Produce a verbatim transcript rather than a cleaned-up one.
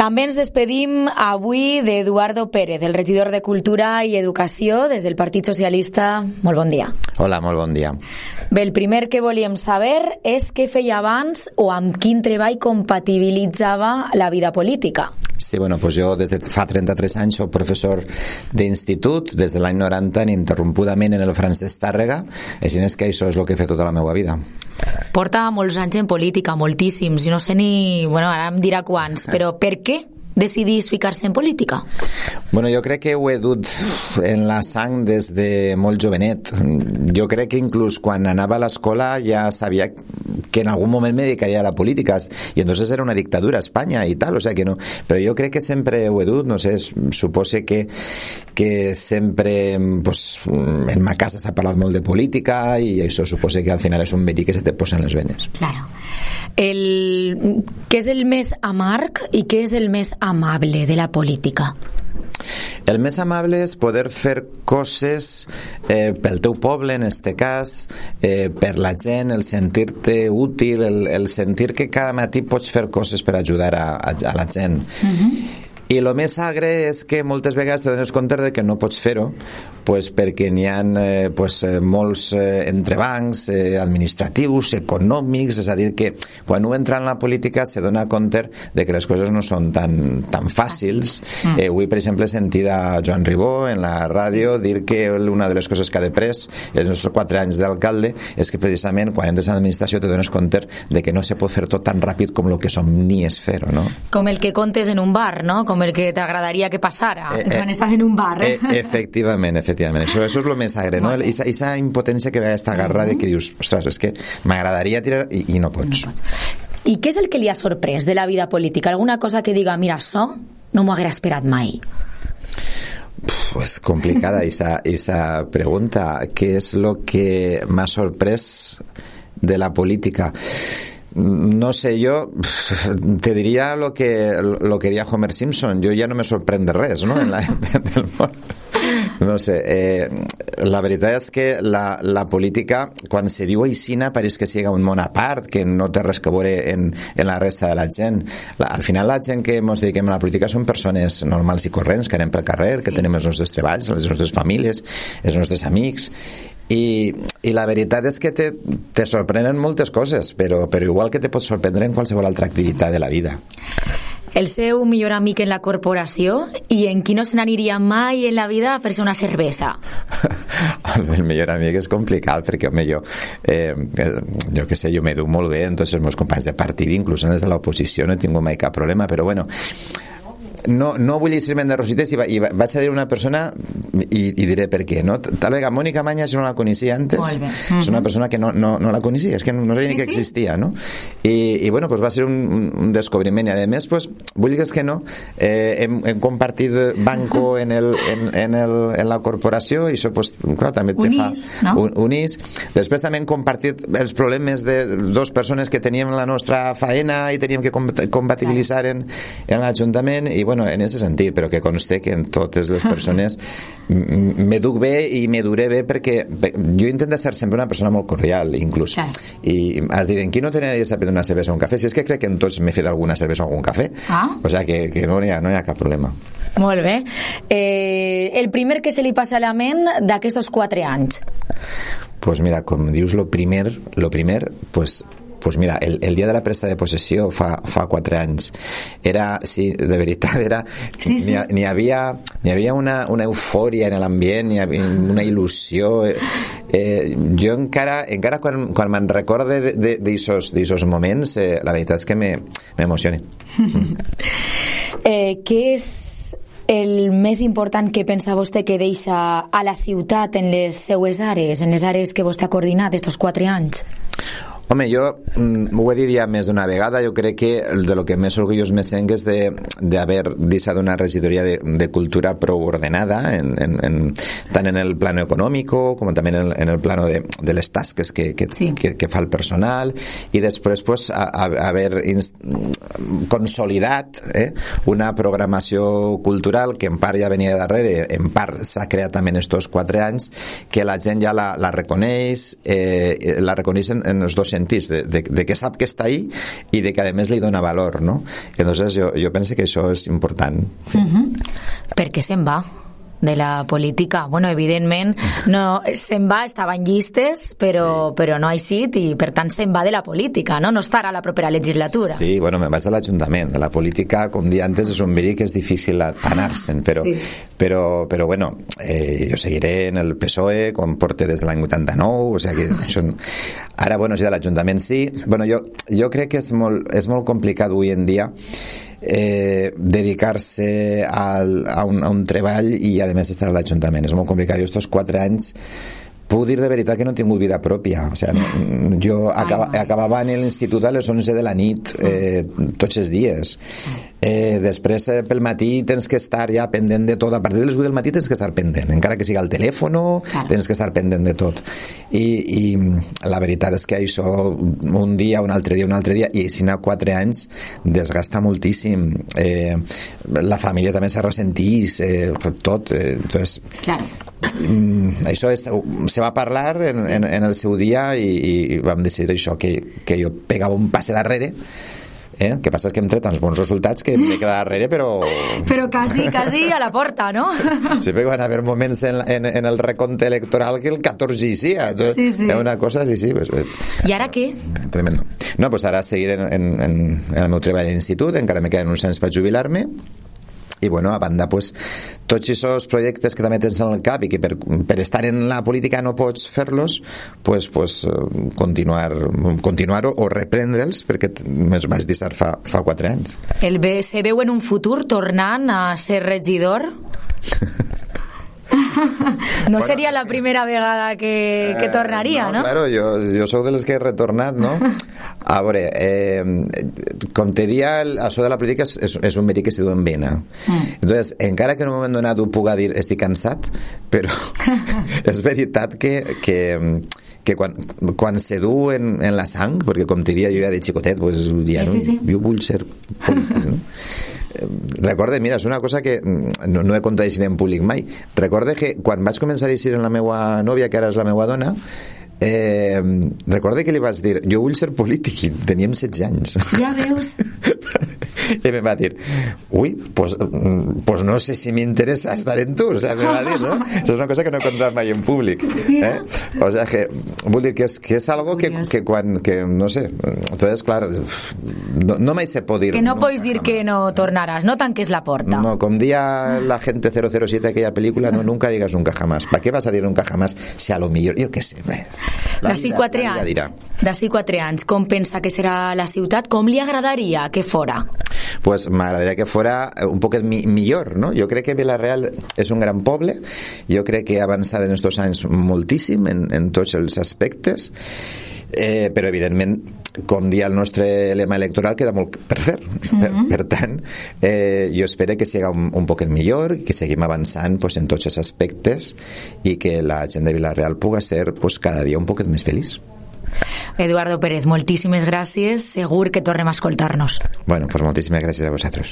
També ens despedim avui d'Eduardo Pérez, el regidor de Cultura i Educació des del Partit Socialista. Molt bon dia. Hola, molt bon dia. Bé, el primer que volíem saber és què feia abans o amb quin treball compatibilitzava la vida política. Sí, bueno, pues jo des de fa trenta-tres anys soc professor d'institut, des de l'any noranta ininterrompudament en el Francesc Tàrrega, així és que això és el que he fet tota la meva vida. Porta molts anys en política, moltíssims, i no sé ni... Bueno, ara em dirà quants, però per què decidís ficar-se en política? Bueno, jo crec que ho he dut en la sang des de molt jovenet. Jo crec que inclús quan anava a l'escola ja sabia que en algun moment me dedicaria a la política, i entonces era una dictadura a Espanya i tal, o sea que no, però jo crec que sempre ho he dut, no sé, supose que que sempre pues, en ma casa s'ha parlat molt de política i això supose que al final és un verí que se te posa en les venes. Claro. El... Què és el més amarg i què és el més amable de la política? El més amable és poder fer coses eh, pel teu poble, en este cas, eh, per la gent, el sentir-te útil, el, el sentir que cada matí pots fer coses per ajudar a, a, a la gent. Uh-huh. I el més agre és que moltes vegades te dones compte de que no pots fer-ho pues, perquè n'hi ha eh, pues, molts eh, entrebancs eh, administratius, econòmics, és a dir que quan un entra en la política se dona compte de que les coses no són tan, tan fàcils. Mm. Eh, avui, per exemple, he sentit a Joan Ribó en la ràdio dir que una de les coses que ha de pres els nostres quatre anys d'alcalde és que precisament quan entres a l'administració te dones compte de que no se pot fer tot tan ràpid com el que somnies fer-ho, no? Com el que contes en un bar, no? Com el que t'agradaria que passara eh, quan eh, estàs en un bar. Eh, efectivament, efectivament. Això, això és el més agre, no? Aquesta impotència que ve a esta garra de que dius, ostres, és que m'agradaria tirar i, i no pots. no pots. I què és el que li ha sorprès de la vida política? Alguna cosa que diga, mira, això no m'ho haguera esperat mai? Pues complicada esa, esa pregunta. ¿Qué es lo que m'ha sorprès de la política? No sé, yo te diría lo que lo que diría Homer Simpson. Yo ya no me sorprende res, ¿no? En la, del món. No sé, eh, la veritat és que la, la política, quan se diu aixina, pareix que siga un món a part, que no té res que veure en, en la resta de la gent. La, al final la gent que ens dediquem a la política són persones normals i corrents, que anem pel carrer, sí. que tenim els nostres treballs, les nostres famílies, els nostres amics, i, i la veritat és que te, te sorprenen moltes coses, però, però igual que te pot sorprendre en qualsevol altra activitat de la vida. El seu millor amic en la corporació i en qui no se n'aniria mai en la vida a fer-se una cervesa? El millor amic és complicat perquè, home, jo eh, jo que sé, jo m'educ molt bé amb tots els meus companys de partit, inclús des de l'oposició no he tingut mai cap problema, però bueno, no, no vull llegir-me'n de rosites i, va, i vaig a dir una persona i, i diré per què, no? Tal vegada Mònica Mañas jo no la coneixia antes, mm-hmm. és una persona que no, no, no la coneixia, és que no sabia sí, ni que sí? existia, no? I, i bueno, pues va ser un, un descobriment i a més, pues, vull dir que no eh, hem, hem compartit banco en, el, en, en, el, en la corporació i això, pues, clar, també te unís, fa no? un, unís. Després també hem compartit els problemes de dues persones que teníem la nostra faena i teníem que compatibilitzar en, en l'Ajuntament i bueno, en ese sentit, però que conste que en totes les persones m'educ bé i m'eduré bé perquè jo intento ser sempre una persona molt cordial, inclús. Clar. I has dit, en qui no t'aniries a prendre una cervesa o un cafè? Si és que crec que en tots m'he fet alguna cervesa o algun cafè. Ah. O sigui que, que no, hi ha, no hi ha cap problema. Molt bé. Eh, el primer que se li passa a la ment d'aquests quatre anys? Pues mira, com dius, lo primer, lo primer, pues pues mira, el, el dia de la presa de possessió fa, fa quatre anys era, sí, de veritat era, sí, sí. N'hi, n'hi havia, n'hi havia una, una eufòria en l'ambient, n'hi havia una il·lusió eh, jo encara, encara quan, quan me'n recorde d'aixòs moments eh, la veritat és que m'emociona. eh, què és el més important que pensa vostè que deixa a la ciutat en les seues àrees, en les àrees que vostè ha coordinat estos quatre anys? Home, jo mm, ho he dit ja més d'una vegada, jo crec que de lo que més orgullós me sent és d'haver deixat una regidoria de, de cultura prou ordenada, en, en, en, tant en el plano econòmic com també en el, en el plano de, de les tasques que, que, sí. que, que fa el personal, i després pues, a, a, haver inst... consolidat eh, una programació cultural que en part ja venia de darrere, en part s'ha creat també en estos quatre anys, que la gent ja la, la reconeix, eh, la reconeix en, en els dos sentits, de, de, de que sap que està ahí i de que a més li dona valor, no? Entonces jo, jo penso que això és important. Sí. Uh-huh. Per què se'n va de la política? Bueno, evidentment no, se'n va, estava en llistes, però, sí. però no ha eixit i per tant se'n va de la política, no? No estarà a la propera legislatura. Sí, bueno, me'n vaig a l'Ajuntament. La política, com dia antes, és un verí que és difícil anar-se'n, però, sí. però, però bueno, eh, jo seguiré en el P S O E, com porte des de l'any vuitanta-nou, o sigui que això... Ara, bueno, sí, de l'Ajuntament sí. Bueno, jo, jo crec que és molt, és molt complicat avui en dia Eh, dedicar-se al, a, un, a un treball i a més estar a l'Ajuntament. És molt complicat. Jo estos quatre anys puc dir de veritat que no he tingut vida pròpia. O sigui, jo acaba, acabava en l'institut a les onze de la nit eh, tots els dies. Eh, després eh, pel matí tens que estar ja pendent de tot. A partir de les vuit del matí tens que estar pendent, encara que sigui al telèfon, claro. Tens que estar pendent de tot. I, i la veritat és que això un dia, un altre dia, un altre dia, i si n'ha quatre anys desgasta moltíssim. Eh, la família també se ressentís, eh, tot. Eh, entonces, claro. mm, això és, se va parlar en, sí. en, en el seu dia i, i vam decidir això, que, que jo pegava un passe darrere. Eh? El que passa és que hem tret tants bons resultats que m'he quedat darrere, però... Però quasi, quasi a la porta, no? Sí, perquè van haver moments en, en, en el recompte electoral que el catorze hi sia. Sí, sí. És una cosa, sí, sí. Pues, I ara què? Tremendo. No, pues ara seguir en, en, en, en el meu treball a l'institut, encara me queden uns anys per jubilar-me, i bueno, a banda, pues, tots aquests projectes que també tens en el cap i que per, per estar en la política no pots fer-los, pues, pues, continuar, continuar o reprendre'ls, perquè me'ls vaig deixar fa, fa quatre anys. El ve, se veu en un futur tornant a ser regidor? No bueno, seria la primera vegada que, que tornaria, eh, no, no? Claro, jo, jo sóc de les que he retornat, no? A veure, eh, com te dia, això de la política és, és, és un verí que se du en vena. Mm. Entonces, encara que en un moment donat ho puga dir estic cansat, però és veritat que, que, que quan, quan se du en, en la sang, perquè com te dia jo ja de xicotet, pues, ja, sí, no, sí, sí. jo vull ser polític, no? Recorde, mira, és una cosa que no, no he contat així en públic mai. Recorde que quan vaig començar a eixir amb la meva nòvia, que ara és la meva dona, eh, recorde que li vaig dir jo vull ser polític, i teníem setze anys. Ja veus. I em va dir, ui, pues, pues no sé si m'interessa estar en tu, o sea, me va dir, ¿no? Això és una cosa que no he contat mai en públic, eh? O sea, que vull dir que és, que és algo que, que quan, que no sé, entonces, clar, no, no mai se pot dir... Que no, no pots dir que no tornaràs, no tanques la porta. No, com dia la gente cero cero siete aquella película, no, nunca digas nunca jamás. ¿Para qué vas a dir nunca jamás si a lo millor, jo què sé, bé, d'ací quatre anys, d'ací quatre anys, com pensa que serà la ciutat? Com li agradaria que fora? Pues m'agradaria que fora un poquet mi millor, no? Jo crec que Vila-real és un gran poble, jo crec que ha avançat en estos anys moltíssim en, en tots els aspectes, eh, però evidentment com dia el nostre lema electoral queda molt per fer. Mm-hmm. per, per tant, eh, jo espero que siga un, un poquet millor, que seguim avançant pues, en tots els aspectes i que la gent de Vila-real puga ser pues, cada dia un poquet més feliç. Eduardo Pérez, moltíssimes gràcies, segur que tornem a escoltar-nos. Bueno, pues moltíssimes gràcies a vosaltres.